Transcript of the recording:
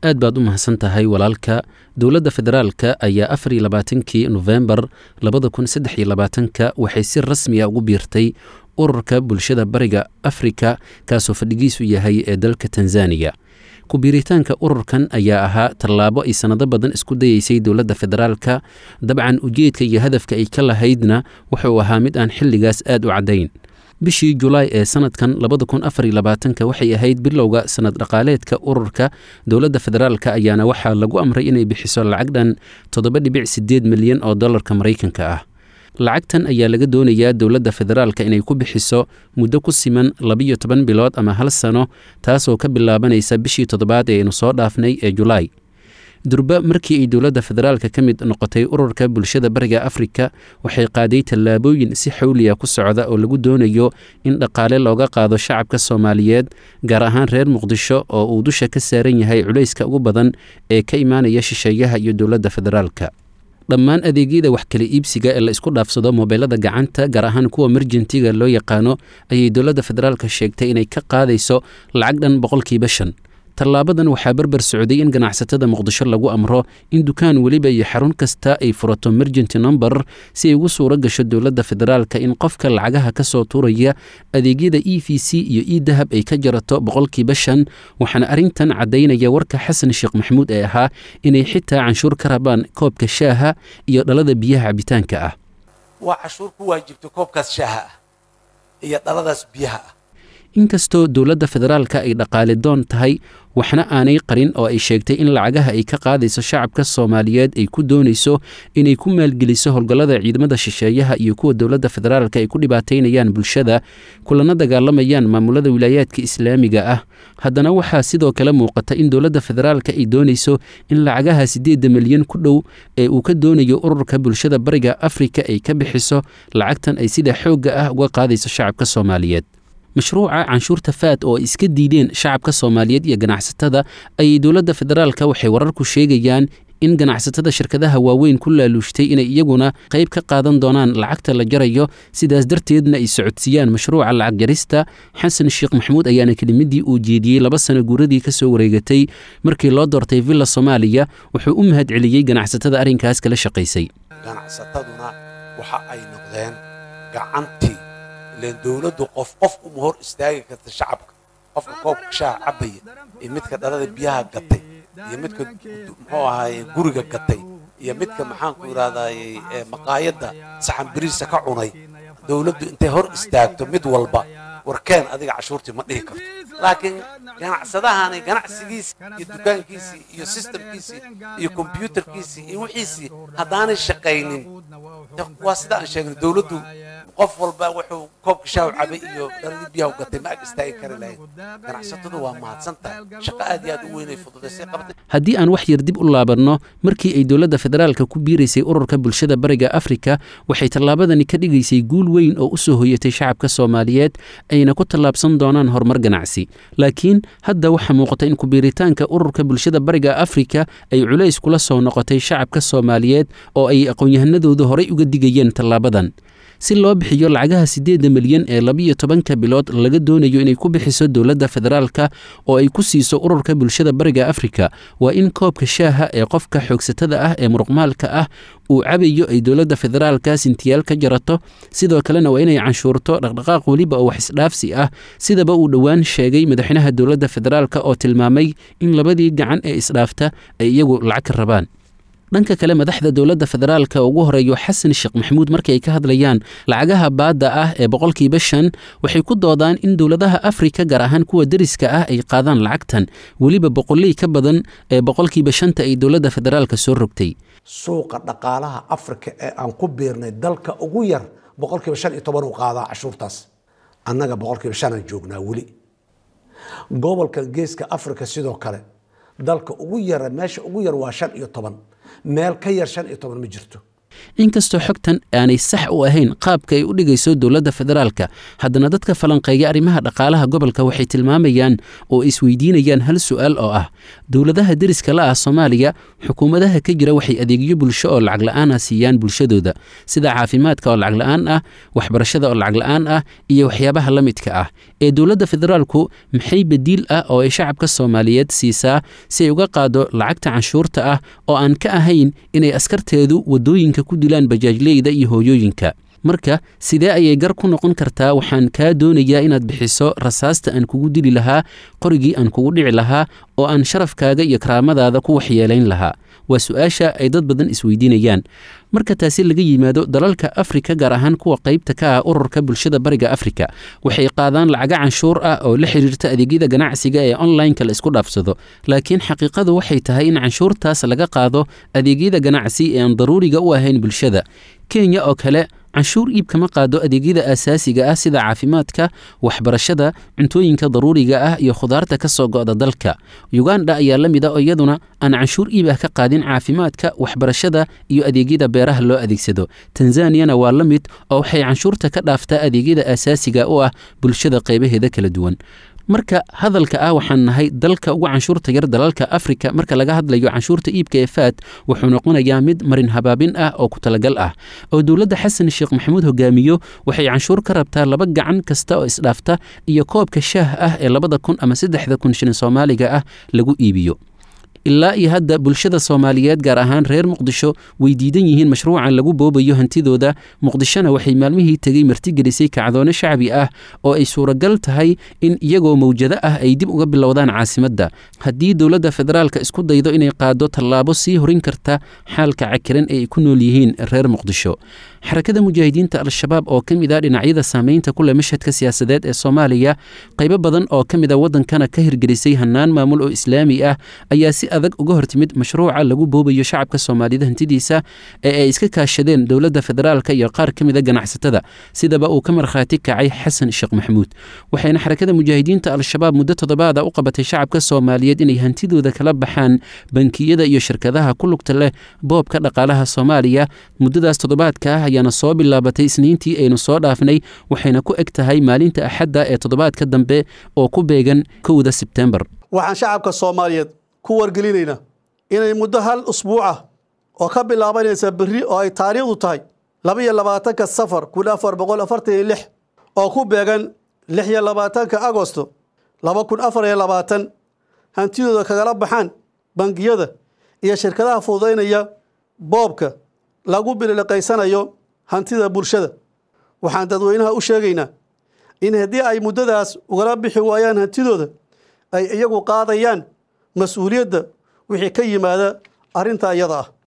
Aad baad u mahadsan tahay, walaalka. Dowladda federaalka ayaa 24-kii Nofembar 2023-ka waxay si rasmiya ugu biirtay Ururka Bulshada Bariga Afrika, kaasoo fadhigiisu yahay ee dalka Tanzaniya. Ku biiritaanka ururkan ayaa ahaa tallaabo ay sannado badan isku dayeysay dowladda federaalka. Dabcan, ujeedka iyo hadafka ay ka lahaydna wuxuu ahaa mid aan xilligaas aad u caddayn. Bishii Julaay ee sanadkan 2024-ka waxay ahayd bilowga sanad dhaqaaleedka ururka. Dowladda federaalka ayaana waxaa lagu amray inay bixiso lacag dhan 7.8 milyan oo dollarka Maraykanka ah. Lacagtan ayaa laga doonayaa dowladda federaalka inay ku bixiso muddo ku siman 12 bilood ama hal sano, taasoo ka bilaabanaysa bishii toddobaad ee aynu soo dhaafnay ee Julaay. Durba markii ay dowladda federaalka ka mid noqotay Ururka Bulshada Bariga Afrika, waxay qaaday tallaabooyin si xawliya ku socda oo lagu doonayo in dhaqaale looga qaado shacabka Soomaaliyeed, gaar ahaan reer Muqdisho oo uu dusha ka saaran yahay culayska ugu badan ee ka imaanaya shisheeyaha iyo dowladda federaalka. Dhammaan adeegyada wax kala iibsiga ee la isku dhaafsado moobeelada gacanta, gaar ahaan kuwa merjentiga loo yaqaano, ayay dowladda federaalka sheegtay inay ka qaadayso lacag dhan 5%. Tallaabadan waxaa barbar socday in ganacsatada Muqdisho lagu amro in dukaan weliba iyo xarun kasta ay furato mergent number, si ay ugu suuro gasho dowladda federaalka in qofka lacagaha ka soo tuuraya adeegyada EVC iyo eDahab ay ka jarato 5%. Waxaana arrintan caddaynaya warka Xasan Sheekh Maxamuud ee ahaa inay xitaa canshuur ka rabaan koobka shaaha iyo dhalada biyaha cabitaanka ah. Waa cashuur ku waajibtay koobkaas shaaha ah iyo dhaladaas biyaha ah. Inkastoo dowladda federaalka ay dhaqaale doon tahay, waxna aanay qarin oo ay sheegtay in lacagaha ay ka qaadayso shacabka Soomaaliyeed ay ku doonayso inay ku maalgeliso howlgallada ciidamada shisheeyaha iyo kuwa dowladda federaalka ay ku dhibaataynayaan bulshada, kulana dagaalamayaan maamulada wilaayaadka islaamiga ah, haddana waxaa sidoo kale muuqata in dowladda federaalka ay doonayso in lacagaha 8 milyan ku dhow ee uu ka doonayo Ururka Bulshada Bariga Afrika ay ka bixiso lacagtan ay sida xoogga ah uga qaadayso shacabka Soomaaliyeed. Mashruuca canshuurta faad oo ay iska diideen shacabka Soomaaliyeed iyo ganacsatada ayay dowladda federaalka waxay wararku sheegayaan in ganacsatada shirkadaha waaweyn ku laaluushtay inay iyaguna qayb ka qaadan doonaan lacagta la jarayo, sidaas darteedna ay socodsiiyaan mashruuca lacag jarista. Xasan Sheekh Maxamuud ayaana kelimadii uu jeediyey 2 sano guuradii ka soo wareegatay markii loo doortay Villa Soomaaliya wuxuu u mahad celiyey ganacsatada arrinkaas kala shaqaysay. Ganacsataduna waxa ay noqdeen gacantii ileen dowladdu qof qof uma hor istaagi karta shacabka. Qofka koobka shaaha cabaya iyo midka dhalada biyaha gatay iyo midka, muxuu ahaaye, guriga gatay iyo midka, maxaanku idhahdaye, maqaayadda saxan biriisa ka cunay, dowladdu intay hor istaagto mid walba "Warkeen adiga cashuurtii" ma dhihi karto. Laakiin ganacsadahani ganacsigiisii iyo dukaankiisii iyo systemkiisii iyo kombyuutarkiisii iyo wixiisii haddaanay shaqaynin, waa sida aan sheegnay, dowladdu qof walba wuxuu koobka shaahu cabay iyo dhaladii biyaha gatay ma ag istaagi kari lahayn. Ganacsatadu waa mahadsan tahay, shaqo aad iyo aad u weynay fududaysay qabtay. Haddii aan wax yar dib u laabanno, markii ay dowladda federaalka ku biiraysay Ururka Bulshada Bariga Afrika, waxay tallaabadani ka dhigaysay guul weyn oo u soo hoyatay shacabka Soomaaliyeed, ayna ku tallaabsan doonaan horumar ganacsi. Laakiin hadda waxaa muuqata in kubiiritaanka Ururka Bulshada Bariga Afrika ay culays kula soo noqotay shacabka Soomaaliyeed, oo ay aqoon-yahanadoodu horay uga digayeen tallaabadan. Si loo bixiyo lacagaha 8 milyan ee 12-ka bilood laga doonayo inay ku bixiso dowladda federaalka oo ay ku siiso Ururka Bulshada Bariga Afrika, waa in koobka shaaha ee qofka xoogsatada ah ee muruqmaalka ah uu cabayo ay dowladda federaalka sintiyaal ka jarato. Sidoo kalena waa inay canshuurto dhaqdhaqaaq weliba oo wax isdhaafsi ah, sidaba uu dhowaan sheegay madaxweynaha dowladda federaalka oo tilmaamay in labadii gacan ee isdhaafta ay iyagu lacag ka rabaan. Dhanka kale, madaxda dowladda federaalka ugu horeeyo Xasan Sheekh Maxamuud, markii ay ka hadlayaan lacagaha baadda ah ee 5%, waxay ku doodaan in dowladaha Afrika, gaar ahaan kuwa deriska ah, ay qaadaan lacagtan weliba boqoley ka badan ee 5%-ta ay dowladda federaalka soo rogtay. Suuqa dhaqaalaha Afrika ee aan ku biirnay, dalka ugu yar 15% uu qaadaa cashuurtaas. Annaga 5% aan joognaa weli. Gobolkan Geeska Afrika sidoo kale, dalka ugu yara, meesha ugu yar waa 15, meel ka yar 15 ma jirto. Inkastoo xogtan aanay sax u ahayn qaabka ay u dhigayso dowladda federaalka, haddana dadka falanqeeya arrimaha dhaqaalaha gobolka waxay tilmaamayaan oo isweydiinayaan hal su'aal oo ah: dowladaha deriska la ah Soomaaliya, xukuumadaha ka jira waxay adeegyo bulsho oo lacag la'aan ah siiyaan bulshadooda, sida caafimaadka oo lacag la'aan ah, waxbarashada oo lacag la'aan ah iyo waxyaabaha la midka ah. Ee dowladda federaalku maxay badiil ah oo ay shacabka Soomaaliyeed siisaa si ay uga qaado lacagta canshuurta ah, oo aan ka ahayn inay askarteedu waddooyinka ku dilaan bajaajleyda iyo hooyooyinka? Marka sidee ayay gar ku noqon kartaa waxaan kaa doonayaa inaad bixiso rasaasta aan kugu dili lahaa, qorigii aan kugu dhici lahaa oo aan sharafkaaga iyo karaamadaada ku waxyeelayn lahaa? Waa su-aasha ay dad badan isweydiinayaan. Marka taasi laga yimaado, dalalka Afrika, gaar ahaan kuwa qaybta ka ah Ururka Bulshada Bariga Afrika, waxay qaadaan lacaga canshuur ah oo la xiriirta adeegyada ganacsiga ee onlineka la isku dhaafsado. Laakiin xaqiiqadu waxay tahay in canshuurtaas laga qaado adeegyada ganacsi ee aan daruuriga u ahayn bulshada. Kenya oo kale canshuur iib kama qaado adeegyada aasaasiga ah sida caafimaadka, waxbarashada, cuntooyinka daruuriga ah iyo khudaarta ka soo go'da dalka. Uganda ayaa la mid a oo iyaduna aan canshuur iib ah ka qaadin caafimaadka, waxbarashada iyo adeegyada beeraha loo adeegsado. Tanzaniyana waa la mid oo waxay canshuurta ka dhaaftaa adeegyada aasaasiga u ah bulshada qaybaheeda kala duwan. Marka hadalka ah waxaan nahay dalka ugu canshuurta yar dalalka Afrika marka laga hadlayo canshuurta iibka ee FAT wuxuu noqonayaa mid marin habaabin ah oo ku talagal ah oo dowladda Xasan Sheekh Maxamuud hogaamiyo. Waxay canshuur ka rabtaa laba gacan kasta oo isdhaafta iyo koobka shaah ah ee 2000 ama 3000 shilin Soomaaliga ah lagu iibiyo. Ilaa iyo hadda bulshada Soomaaliyeed, gaar ahaan reer Muqdisho, way diidan yihiin mashruucan lagu boobayo hantidooda. Muqdishona waxay maalmihii tegey martigelisay kacdoone shacbi ah oo ay suuragal tahay in iyagoo mawjado ah ay dib uga bilowdaan caasimadda haddii dowladda federaalka isku daydo inay qaado tallaabo sii horin karta xaalka cakiran ee ay ku nool yihiin reer Muqdisho. Xarakada Mujaahidiinta Al-Shabaab oo ka mid ah dhinacyada saameynta ku leh mashhadka siyaasadeed ee Soomaaliya, qaybo badan oo ka mid a waddankana ka hirgelisay hannaan maamul oo islaami ah, ayaa si adag uga hortimid mashruuca lagu boobayo shacabka Soomaalida hantidiisa ee ay iska kaashadeen dowladda federaalka iyo qaar ka mid a ganacsatada, sidaba uu ka markhaati kacay Xasan Sheekh Maxamuud. Waxayna Xarakada Mujaahidiinta Al-Shabaab muddo toddobaada u qabatay shacabka Soomaaliyeed inay hantidooda kala baxaan bankiyada iyo shirkadaha ku lugta leh boobka dhaqaalaha Soomaaliya. Muddadaas toddobaadka ah ayaana soo bilaabatay Isniintii aynu soo dhaafnay, waxayna ku eg tahay maalinta Axadda ee toddobaadka dambe oo ku beegan 1da Sebtembar. Waxaan shacabka Soomaaliyeed ku wargelinaynaa inay muddo hal usbuuc ah oo ka bilaabanaysa berri oo ay taariikhdu tahay 22-ka Safar 1446 oo ku beegan 26-ka Agosto 2024 hantidooda kagala baxaan bangiyada iyo shirkadaha fududaynaya boobka lagu bililiqaysanayo hantida bulshada. Waxaan dadweynaha u sheegaynaa in haddii ay muddadaas ugala bixi waayaan hantidooda, ay iyagu qaadayaan mas-uuliyadda wixii ka yimaada arrintaa iyada ah.